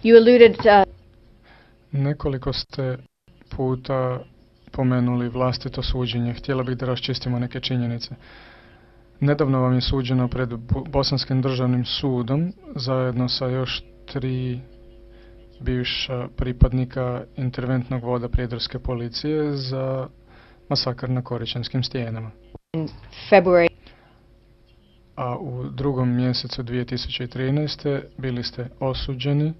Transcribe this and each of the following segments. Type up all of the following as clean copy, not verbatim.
You alluded Nekoliko ste puta pomenuli vlastito suđenje. Htjela bih da raščistimo neke činjenice. Nedavno vam je suđeno pred Bosanskim državnim sudom zajedno sa još 3 bivša pripadnika interventnog voda prijedorske policije za masakr na Koričanskim stijenama. in February. A u 2. mjesecu 2013. bili ste osuđeni.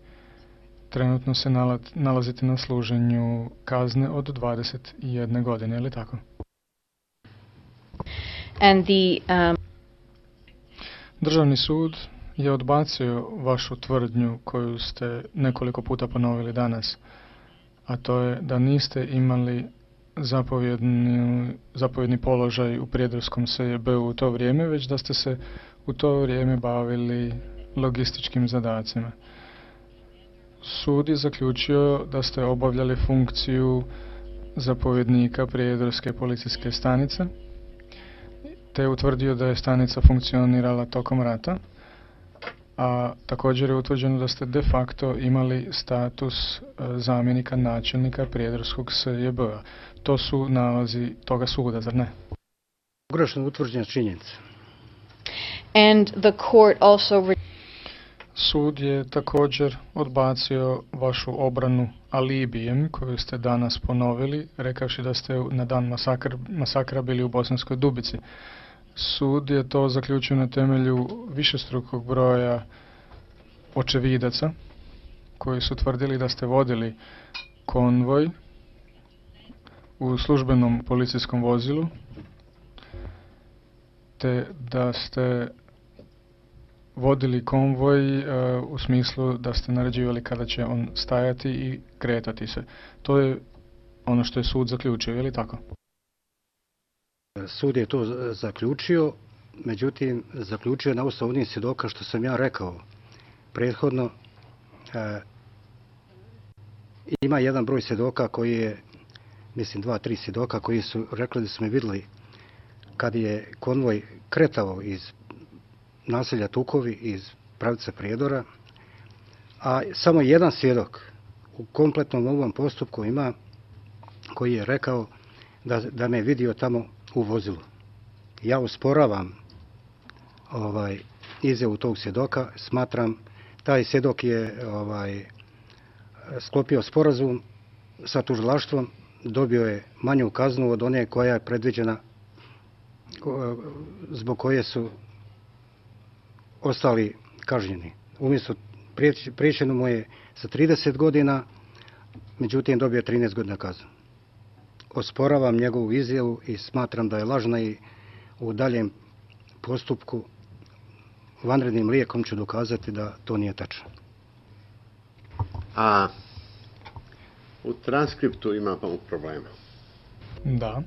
Trenutno se nalazite na služenju kazne od 21 godine, je li tako? And the Državni sud je odbacio vašu tvrdnju koju ste nekoliko puta ponovili danas, a to je da niste imali zapovjedni položaj u prijedorskom SJB-u u to vrijeme, već da ste se u to vrijeme bavili logističkim zadacima. Sud je zaključio da ste obavljali funkciju zapovjednika prijedorske policijske stanice, te je utvrdio da je stanica funkcionirala tokom rata, a također je utvrđeno da ste de facto imali status zamjenika načelnika prijedorskog SJB-a. To su nalazi toga suda, zar ne? Pogrešno utvrđena činjenica. and the court also Sud je također odbacio vašu obranu alibijem koju ste danas ponovili, rekavši da ste na dan masakra bili u Bosanskoj Dubici. Sud je to zaključio na temelju višestrukog broja očevidaca koji su tvrdili da ste vodili konvoj u službenom policijskom vozilu, te da ste vodili konvoj u smislu da ste naređivali kada će on stajati i kretati se. To je ono što je sud zaključio, je li tako? Sud je to zaključio, međutim, zaključio na osnovu onih svjedoka što sam ja rekao prethodno. Ima jedan broj svjedoka koji je, mislim 2-3 svjedoka koji su rekli da su me vidjeli kad je konvoj kretao iz naselja Tukovi, iz pravca Prijedora, a samo jedan svjedok u kompletnom ovom postupku ima koji je rekao da me je vidio tamo u vozilu. Ja usporavam izjavu tog svjedoka, smatram taj svjedok je sklopio sporazum sa tužilaštvom, dobio je manju kaznu od one koja je predviđena, zbog koje su ostali kažnjeni. Umjesto priječeno mu je sa 30 godina, međutim dobio 13 godina kaznu. Osporavam njegovu izjavu i smatram da je lažna i u daljem postupku vanrednim lijekom ću dokazati da to nije tačno. A u transkriptu ima problema. Da.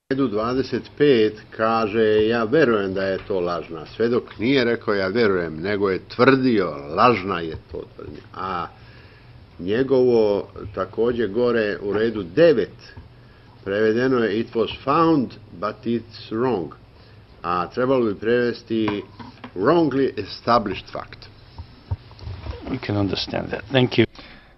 Redu 25 kaže ja verujem da je to lažna. Svedok nije rekao ja verujem, nego je tvrdio lažna je to tvrdnja. A njegovo također gore u redu 9 prevedeno je it was found but it's wrong. A trebalo bi prevesti wrongly established fact. We can understand that. Thank you.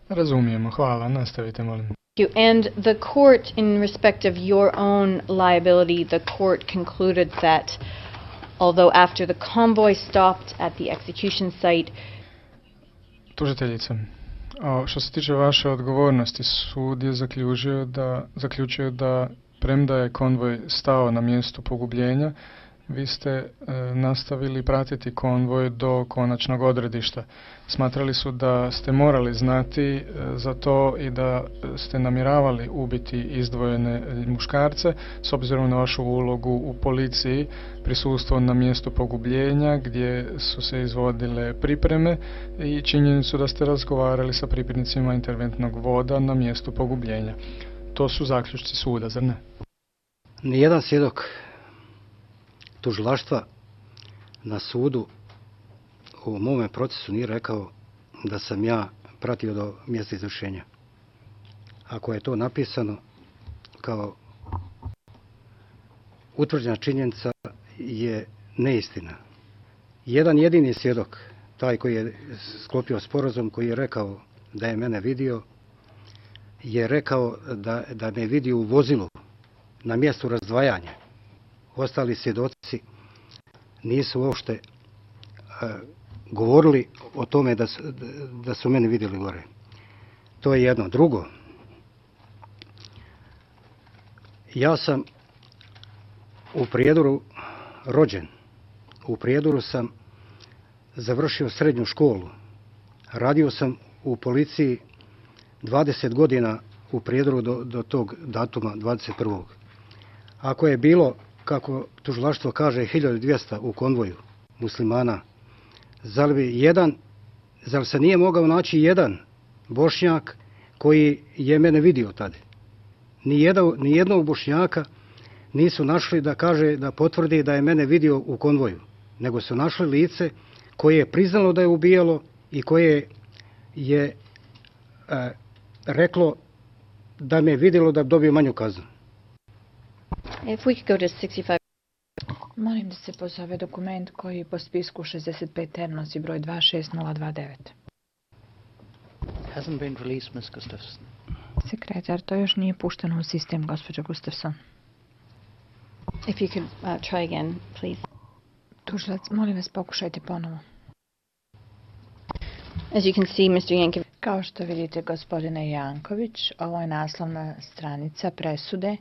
Razumijemo, hvala, nastavite molim. and the court, in respect of your own liability, the court concluded that although after the convoy stopped at the execution site, Tužiteljice, što se tiče vaše odgovornosti, sud je zaključio da premda je konvoj stao na mjestu pogubljenja, vi ste nastavili pratiti konvoj do konačnog odredišta. Smatrali su da ste morali znati za to i da ste namjeravali ubiti izdvojene muškarce s obzirom na vašu ulogu u policiji, prisustvo na mjestu pogubljenja gdje su se izvodile pripreme i činjenicu da ste razgovarali sa pripadnicima interventnog voda na mjestu pogubljenja. To su zaključci suda, zar ne? Nijedan svjedok tužilaštva na sudu u mome procesu nije rekao da sam ja pratio do mjesta izvršenja. Ako je to napisano kao utvrđena činjenica, je neistina. Jedan jedini svjedok taj koji je sklopio sporazum, koji je rekao da je mene vidio, je rekao da me vidi u vozilu na mjestu razdvajanja. Ostali svjedoci nisu uopšte govorili o tome da su mene vidjeli gore. To je jedno. Drugo, ja sam u Prijedoru rođen. U Prijedoru sam završio srednju školu. Radio sam u policiji 20 godina u Prijedoru do tog datuma 21. Ako je bilo, kako tužilaštvo kaže, 1200 u konvoju muslimana, zar se nije mogao naći jedan Bošnjak koji je mene vidio tada? Ni jednog Bošnjaka nisu našli da kaže, da potvrdi da je mene vidio u konvoju, nego su našli lice koje je priznalo da je ubijalo i koje je reklo da me je vidjelo da dobije manju kaznu. If we could go to 65. Molim da se pozove dokument koji po spisku 65 nosi broj 26029. Hasn't been released, Ms. Gustafson. Sekretar, to još nije pušteno u sistem, gospođo Gustafson. If you could try again, please. Tužilac, molim vas, pokušajte ponovo. As you can see, Mr. Yankovic. Kao što vidite, gospodine Janković, ovo je naslovna stranica presude.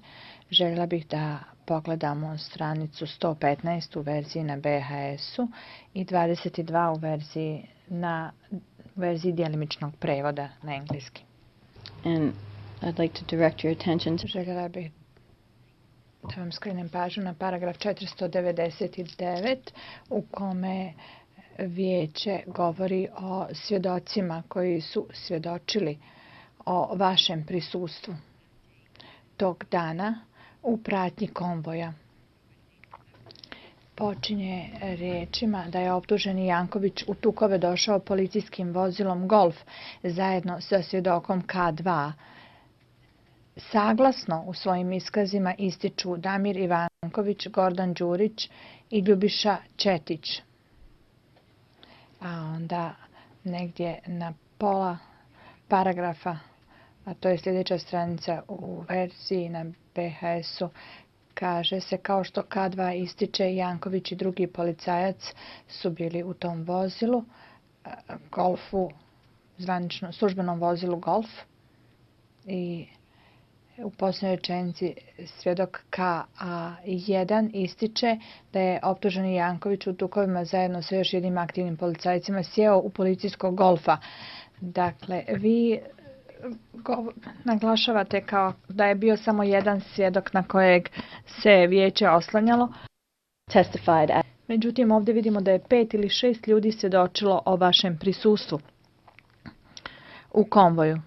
Željela bih da pogledamo stranicu 115 u verziji na BHS-u i 22 u verziji djelimičnog prevoda na engleski. And I'd like to direct your attention to Željela bih da vam skrenem pažnju na paragraf 499 u kome vijeće govori o svjedocima koji su svjedočili o vašem prisustvu tog dana u pratnji konvoja. Počinje riječima da je optuženi Janković u Tukove došao policijskim vozilom Golf zajedno sa svjedokom K2. Saglasno u svojim iskazima ističu Damir Ivanković, Gordan Đurić i Ljubiša Četić. A onda negdje na pola paragrafa, a to je sljedeća stranica u verziji na BHS-u, kaže se kao što K2 ističe, Janković i drugi policajac su bili u tom vozilu, Golfu, zvanično službenom vozilu Golf, i u posljednjoj rečenici svjedok KA1 ističe da je optuženi Janković u Tukovima zajedno sa još jednim aktivnim policajcima sjeo u policijskog Golfa. Dakle, vi naglašavate kao da je bio samo jedan svjedok na kojeg se vijeće oslanjalo. Međutim, ovdje vidimo da je 5 ili 6 ljudi svjedočilo o vašem prisustvu u konvoju.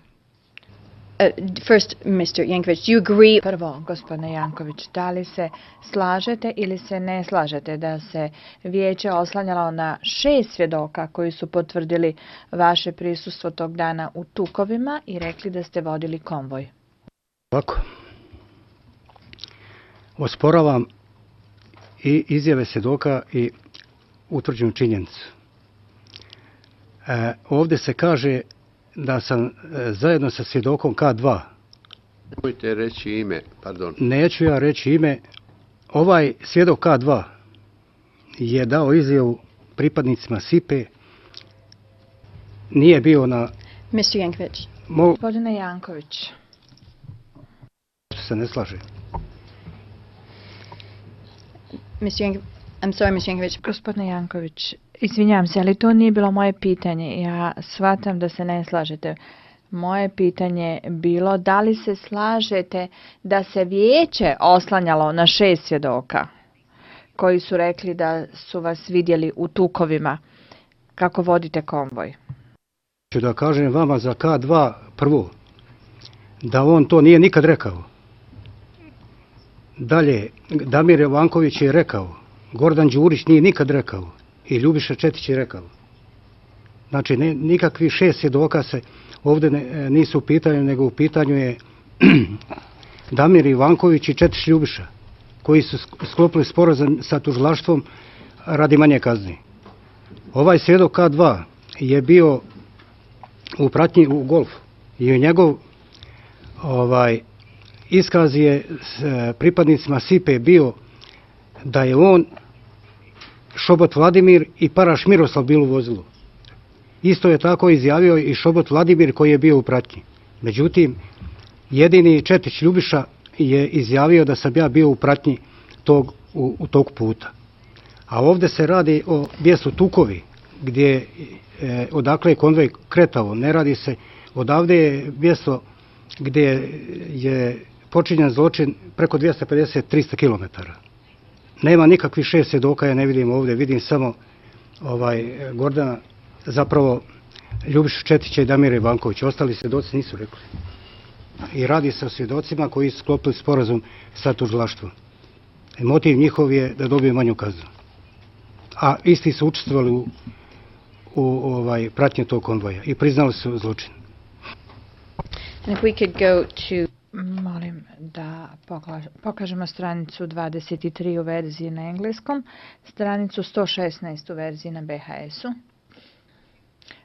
First, Mr. Yankovic, do you agree? Prvo, gospodine Janković, da li se slažete ili se ne slažete da se vijeće oslanjalo na 6 svjedoka koji su potvrdili vaše prisustvo tog dana u Tukovima i rekli da ste vodili konvoj? Ovako, osporavam i izjave svjedoka i utvrđenu činjenicu. Ovdje se kaže da sam zajedno sa svjedokom K2. Nemojte reći ime, pardon. Neću ja reći ime. Ovaj svjedok K2 je dao izjavu pripadnicima SIPE. Nije bio na... Mr. Yankovic. Gospodine Janković. Se ne slaže. I'm sorry, Mr. Yankovic. Gospodine Janković, izvinjam se, ali to nije bilo moje pitanje. Ja shvatam da se ne slažete. Moje pitanje je bilo da li se slažete da se vijeće oslanjalo na 6 svjedoka koji su rekli da su vas vidjeli u Tukovima kako vodite konvoj. Ću da kažem vama za K2 prvo, da on to nije nikad rekao. Dalje, Damir Ivanković je rekao, Gordan Đurić nije nikad rekao i Ljubiša Četić je rekao. Znači, nikakvi 6 svjedoka se ovdje nisu u pitanju, nego u pitanju je Damir Ivanković i Četić Ljubiša, koji su sklopili sporazum sa tužilaštvom radi manje kazni. Ovaj svjedok K2 je bio u pratnji u golfu i njegov iskaz je s pripadnicima SIPE bio da je on, Šobot Vladimir i Paraš Miroslav bili u vozilu. Isto je tako izjavio i Šobot Vladimir koji je bio u pratnji. Međutim, jedini Četić Ljubiša je izjavio da sam ja bio u pratnji tog puta. A ovdje se radi o mjestu Tukovi, odakle je konvoj kretao. Ne radi se, odavde je mjesto gdje je počinjen zločin preko 250-300 km. Nema nikakvih 6 svjedoka, ja ne vidim ovdje, vidim samo Gordana, zapravo Ljubišu Četića i Damira Ivankovića. Ostali svjedoci nisu rekli. I radi se o svjedocima koji su sklopili sporazum sa tužilaštvom. Motiv njihov je da dobiju manju kaznu. A isti su učestvovali u pratnji tog konvoja i priznali su zločin. And if we could go to... Molim da pokažemo stranicu 23 u verziji na engleskom, stranicu 116 u verziji na BHS-u,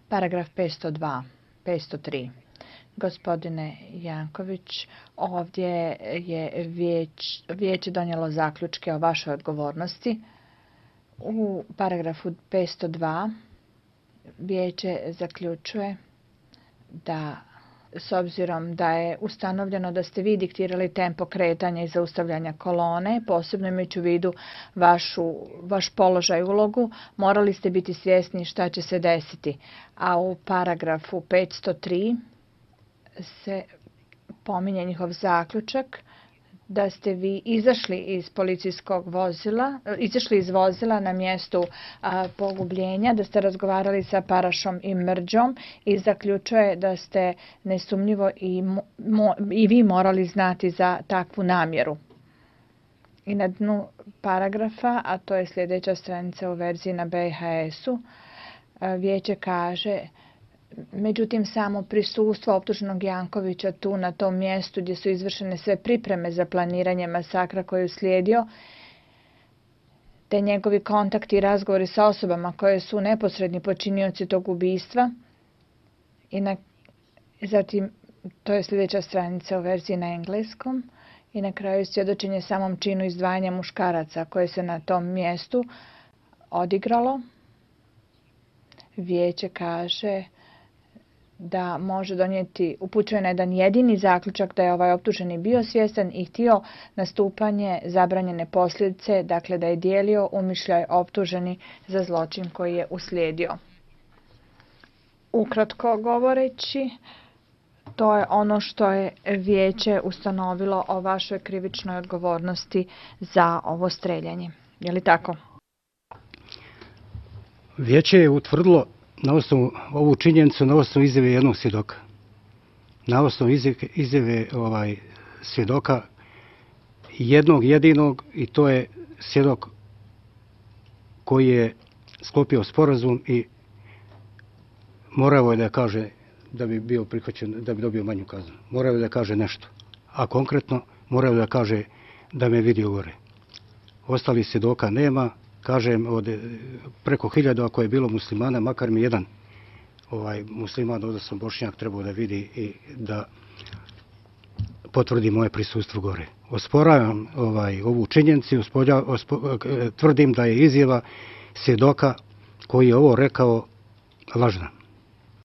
paragraf 503. Gospodine Janković, ovdje je vijeće donijelo zaključke o vašoj odgovornosti. U paragrafu 502 vijeće zaključuje da s obzirom da je ustanovljeno da ste vi diktirali tempo kretanja i zaustavljanja kolone, posebno imajući u vidu vaš položaj i ulogu, morali ste biti svjesni šta će se desiti. A u paragrafu 503 se pominje njihov zaključak da ste vi izašli iz vozila na mjestu pogubljenja, da ste razgovarali sa Parašom i Mrđom i zaključuje da ste nesumnjivo i vi morali znati za takvu namjeru. I na dnu paragrafa, a to je sljedeća stranica u verziji na BHS-u, vijeće kaže: međutim, samo prisustvo optuženog Jankovića tu na tom mjestu gdje su izvršene sve pripreme za planiranje masakra koji je uslijedio, te njegovi kontakti i razgovori sa osobama koje su neposredni počinioci tog ubistva. Zatim, to je sljedeća stranica u verziji na engleskom. I na kraju svjedočenje samom činu izdvajanja muškaraca koje se na tom mjestu odigralo. Vijeće kaže da može donijeti, upućuje na jedan jedini zaključak da je ovaj optuženi bio svjestan i htio nastupanje zabranjene posljedice, dakle da je dijelio umišljaj optuženi za zločin koji je uslijedio. Ukratko govoreći, to je ono što je vijeće ustanovilo o vašoj krivičnoj odgovornosti za ovo streljanje. Je li tako? Vijeće je utvrdilo na osnovu ovu činjenicu, na osnovu izjave jednog svjedoka. Na osnovu izjave svjedoka jednog jedinog, i to je svjedok koji je sklopio sporazum i morao je da kaže da bi bio prihvaćen, da bi dobio manju kaznu. Morao je da kaže nešto. A konkretno morao je da kaže da me vidio gore. Ostalih svjedoka nema. Kažem, od preko 1000 ako je bilo muslimana, makar mi jedan musliman, ovdje sam Bošnjak, trebao da vidi i da potvrdi moje prisustvo gore. Osporavam ovu činjenicu, tvrdim da je izjava svjedoka koji je ovo rekao lažna.